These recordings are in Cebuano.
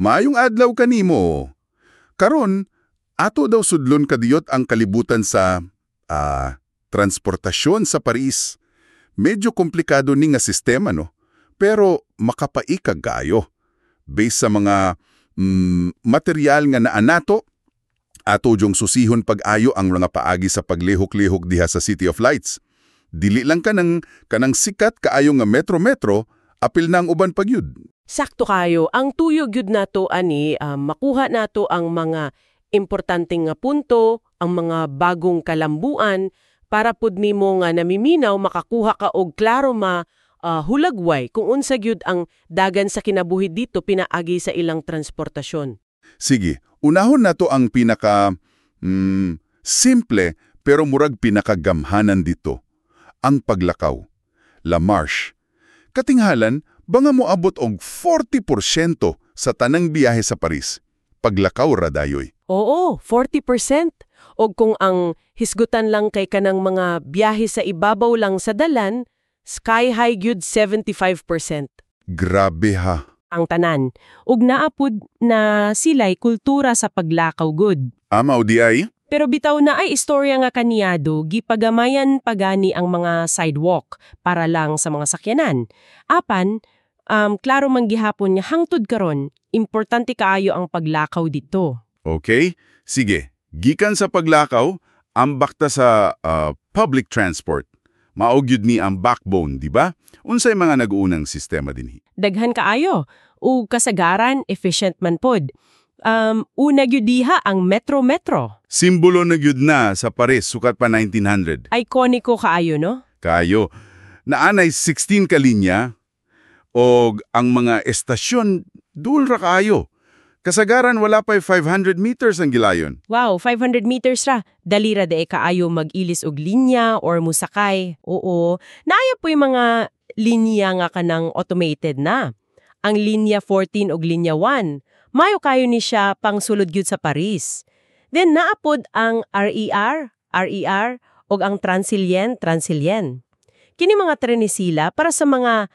Maayong adlaw kanimo. Karon, ato daw sudlon kadiyot ang kalibutan sa transportasyon sa Paris. Medyo komplikado ni nga sistema, no? Pero makapaikag kaayo. Based sa mga material nga naa nato, ato jung susihon pag-ayo ang mga paagi sa paglihok-lihok diha sa City of Lights. Dili lang kanang sikat kaayo nga metro-metro, apil na ang uban pa gyud. Sakto kayo, ang tuyo gyud nato ani makuha nato ang mga importanteng nga punto, ang mga bagong kalambuan para pud nimo nga namiminaw makakuha ka og klaro ma hulagway kung unsa gyud ang dagan sa kinabuhi dito pinaagi sa ilang transportasyon. Sige, unahon nato ang pinaka simple pero murag pinakagamhanan dito, ang paglakaw. La Marche. Katinghalan, banga moabot og 40% sa tanang biyahe sa Paris. Paglakaw ra dayoy. Oo, 40%. Og kung ang hisgutan lang kay kanang mga biyahe sa ibabaw lang sa dalan, sky high gyud, 75%. Grabe ha. Ang tanan. Ug naa pud na sila'y kultura sa paglakaw gud. Mao diay? Pero bitaw naay istorya nga kaniado, gipagamayan pagani ang mga sidewalk para lang sa mga sakyanan. Apan, klaro man gihapon nga hangtod karon, importante kaayo ang paglakaw dito. Okay, sige. Gikan sa paglakaw, ambak ta sa public transport. Mao gyud ni ang backbone, di ba? Unsay mga nag-uunang sistema dinhi? Daghan kaayo ug kasagaran efficient man pod. Una gyud diha ang Metro-Metro. Simbolo na gyud na sa Paris sukat pa 1900. Ikoniko kaayo, no? Kayo. Naanay 16 ka linya og ang mga estasyon duol ra kaayo. Kasagaran wala pa'y 500 meters ang gilayon. Wow, 500 meters ra. Dali ra diay kaayo mag-ilis og linya or musakay. Oo. Naaya poy mga linya nga kanang automated na. Ang linya 14 og linya 1. Mayo kayo ni siya pang sulod gyud sa Paris. Then naa pod ang RER, RER og ang Transilien, Transilien. Kini mga tren ni sila para sa mga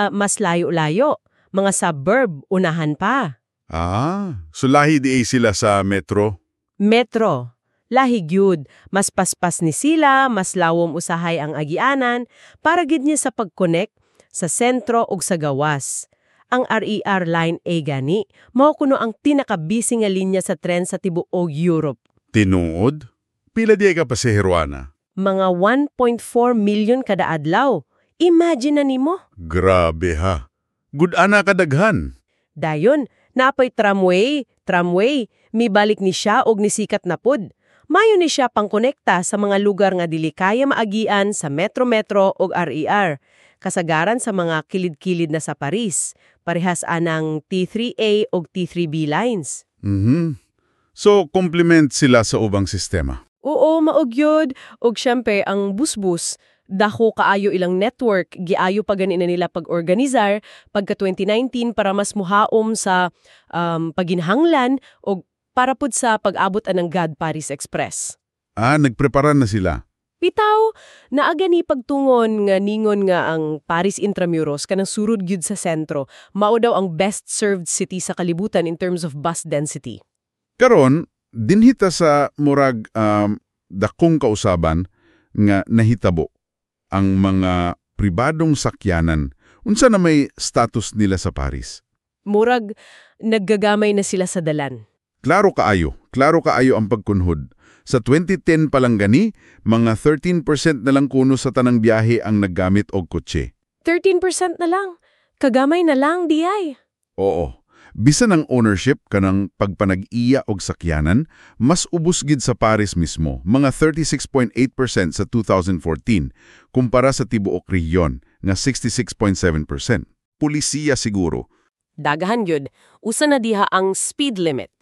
mas layo-layo, mga suburb, unahan pa. Ah, so lahi diay sila sa metro. Metro. Lahi gyud, mas paspas ni sila, mas lawom usahay ang agianan para gid niya sa pag-connect sa sentro ug sa gawas. Ang RER Line A gani, mao kuno ang tinakabisi nga linya sa tren sa tibuok Europe. Tinuod? Pila diay ka pasahero ana? Mga 1.4 million kada adlaw. Imagine na nimo. Grabe ha. Gud ana kadaghan. Dayon, naa pay tramway, tramway, mibalik ni siya og nisikat na pod. Mayo ni siya pangkonekta sa mga lugar nga dili kaya maagian sa Metro-Metro og RER. Kasagaran sa mga kilid-kilid na sa Paris. Parehas anang T3A og T3B lines. So, complement sila sa ubang sistema. Oo, mao gyud. Og syempre, ang busbus, dako kaayo ilang network, giayo pa gani na nila pag-organisar pagka 2019 para mas muhaom sa paginhanglan og para pud sa pag-abot anang GAD Paris Express. Ah, nagprepara na sila. Bitaw, naa gani pagtungon nga ningon nga ang Paris Intramuros kanang surod gyud sa sentro, mao daw ang best served city sa kalibutan in terms of bus density. Karon, dinhi ta sa murag dakong kausaban nga nahitabo ang mga pribadong sakyanan. Unsa na may status nila sa Paris? Murag naggagamay na sila sa dalan. Klaro kaayo ang pagkunhod. Sa 2010 pa lang gani, mga 13% na lang kuno sa tanang biyahe ang naggamit og kotse. 13% na lang. Kagamay na lang, diay. Oo. Bisan ang ownership kanang pagpanag-iya og sakyanan, mas ubos gid sa Paris mismo, mga 36.8% sa 2014, kumpara sa tibuok rehiyon nga 66.7%. Pulisiya siguro. Daghan gyud, usa na diha ang speed limit.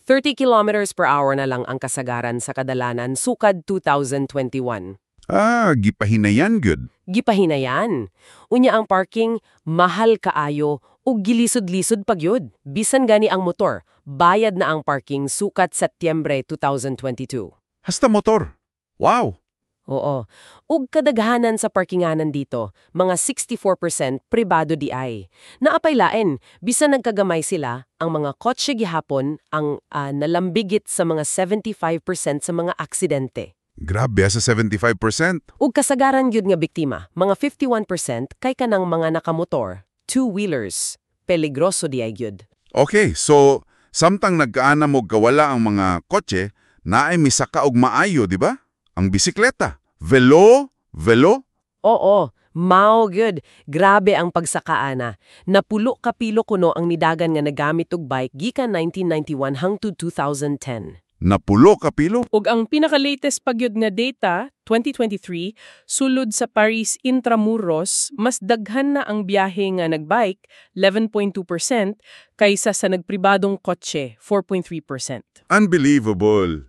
30 kilometers per hour na lang ang kasagaran sa kadalanan sukad 2021. Ah, gipahinayan gud. Gipahinayan. Unya ang parking, mahal kaayo ug gilisod-lisod pa gyud. Bisan gani ang motor, bayad na ang parking sukat Setyembre 2022. Hasta motor. Wow! Oo. Ug kadaghanan sa parkinganan dito, mga 64% pribado diay. Naa pay lain, bisan nagkagamay sila, ang mga kotse gihapon ang nalambigit sa mga 75% sa mga aksidente. Grabe sa 75%. Ug kasagaran gyud nga biktima, mga 51% kay kanang mga nakamotor, two-wheelers. Peligroso diay gyud. Okay, so samtang nagkaanam og kawala ang mga kotse, naay misaka og maayo, di ba? Ang bisikleta. Velo, velo. Oo, mao gyud. Grabe ang pagsakaana. Napulo kapilo kuno ang nidagan nga nagamit og bike gikan 1991 hangtod 2010. Napulo kapilo. Ug ang pinaka-latest pa gyud nga data, 2023, sulod sa Paris Intramuros, mas daghan na ang biyahe nga nagbike, 11.2%, kaysa sa nagpribadong kotse, 4.3%. Unbelievable.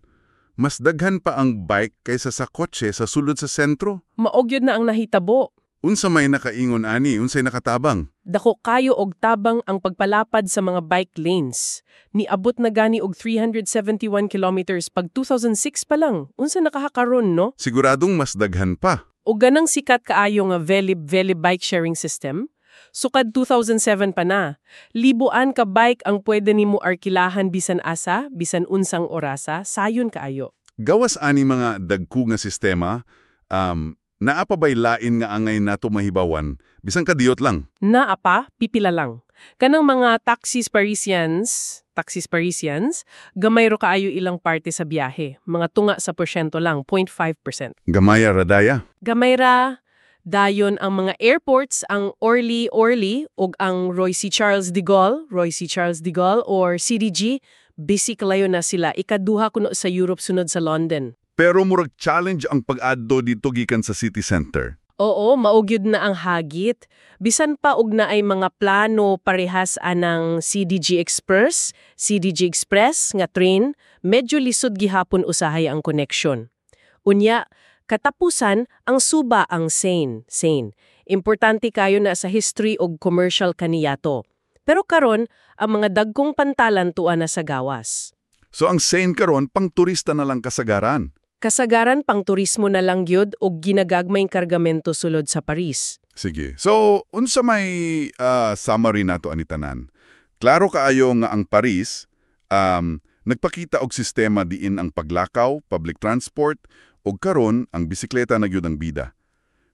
Mas daghan pa ang bike kaysa sa kotse sa sulod sa sentro. Mao gyud na ang nahitabo. Unsa may nakaingon ani, unsay nakatabang? Dako kayo og tabang ang pagpalapad sa mga bike lanes. Niabot na gani og 371 kilometers pag 2006 pa lang. Unsa na kaha karon, no? Siguradong mas daghan pa. O ganang sikat kaayo nga Velib Velib bike sharing system. Sukad 2007 pa na. Libuan ka bike ang pwede nimo arkilahan bisan asa, bisan unsang orasa, sayon kaayo. Gawas ani mga dagko nga sistema, naa pa bay lain nga angay nato mahibawan, bisan kadiyot lang. Naa pa, pipila lang. Kanang mga taxis Parisians, gamay ro kaayo ilang parte sa biyahe. Mga tunga sa porsyento lang, 0.5%. Gamaya ra daya. Gamay ra, dayon ang mga airports, ang Orly Orly ug ang Roissy Charles de Gaulle, Roissy Charles de Gaulle or CDG, busy kalayo na sila. Ikaduha kuno sa Europe sunod sa London. Pero murag challenge ang pag-adto dito gikan sa city center. Oo, mao gyud na ang hagit. Bisan pa og naay mga plano parehas anang CDG Express, CDG Express nga train, medyo lisod gihapon usahay ang connection. Unya, katapusan ang suba ang Seine, Seine. Importante kayo na sa history og commercial kaniyato. Pero karon, ang mga dagkong pantalan tua na sa gawas. So ang Seine karon pang turista na lang kasagaran. Kasagaran pang turismo na lang gyud og ginagagmayng kargamento sulod sa Paris. Sige. So, unsa may summary nato ani tanan? Klaro kaayo nga ang Paris nagpakita og sistema diin ang paglakaw, public transport ug karon ang bisikleta na gyud ang bida.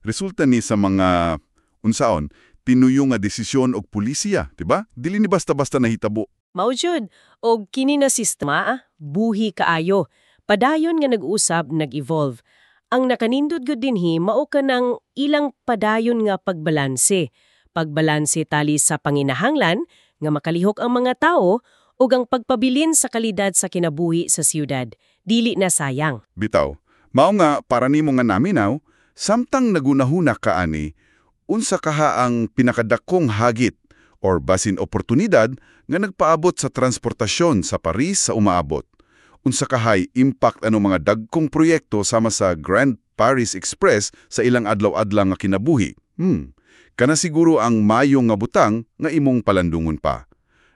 Resulta ni sa mga unsaon tinuyo nga desisyon og pulisiya, di ba? Dili ni basta-basta nahitabo. Mao jud, og kini na sistema, buhi kaayo. Padayon nga nag-usab, nag-evolve. Ang nakanindot gud dinhi mao kanang ilang padayon nga pagbalanse. Pagbalanse tali sa panginahanglan nga makalihok ang mga tao ug ang pagpabilin sa kalidad sa kinabuhi sa siyudad. Dili na sayang. Bitaw. Mao nga para nimo nga naminaw, samtang nagunahuna ka ani, unsa kaha ang pinakadakong hagit or basin oportunidad nga nagpaabot sa transportasyon sa Paris sa umaabot. Unsa kahay impact ano mga dagkong proyekto sama sa Grand Paris Express sa ilang adlaw-adlaw nga kinabuhi. Kana siguro ang mayo nga butang nga imong palandungon pa.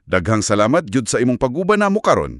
Daghang salamat gyud sa imong pag-uban namo karon.